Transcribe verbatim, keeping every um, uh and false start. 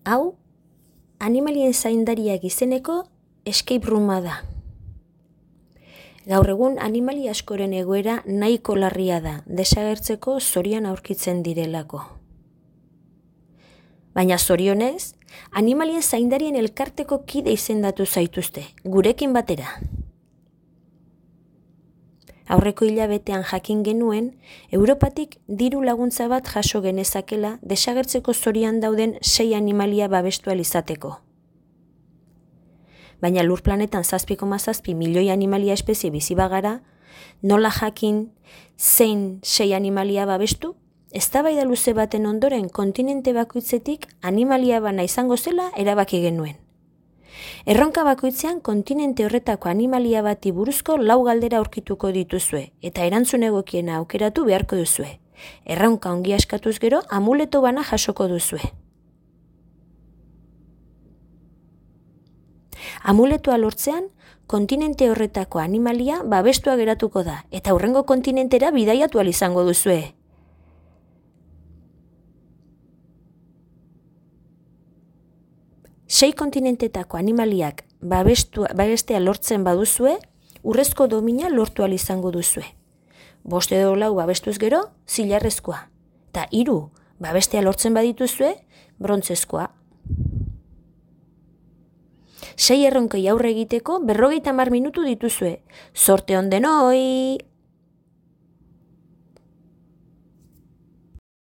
Hau, animalien zaindariak izeneko escape rooma da. Gaur egun animali askoren egoera nahiko larria da, desagertzeko zorian aurkitzen direlako. Baina zorionez, animalien zaindarien elkarteko kide izendatu zaituzte, gurekin batera. Aurreko hilabetean jakin genuen, Europatik diru laguntza bat jaso genezakela desagertzeko zorian dauden sei animalia babestu ahal izateko. Baina lur planetan zazpi koma zazpi milioi animalia espezie bizi bagara, nola jakin zein sei animalia babestu? Eztabaida luze baten ondoren kontinente bakoitzetik animalia bana izango zela erabaki genuen. Erronka bakoitzean kontinente horretako animalia bati buruzko lau galdera aurkituko dituzue eta erantzun egokiena aukeratu beharko duzue. Erronka ongi askatuz gero amuleto bana jasoko duzue. Amuletoa lortzean, kontinente horretako animalia babestua geratuko da eta hurrengo kontinentera bidaiatu ahal izango duzue. Sei kontinentetako animaliak babestua, babestea lortzen baduzue, urrezko domina lortu ahal izango duzue. Bost edo lau babestuz gero, zilarrezkoa. Eta hiru babestea lortzen badituzue, brontzezkoa. Sei erronkei aurre egiteko berrogeita hamar minutu dituzue. Zorte on denoi!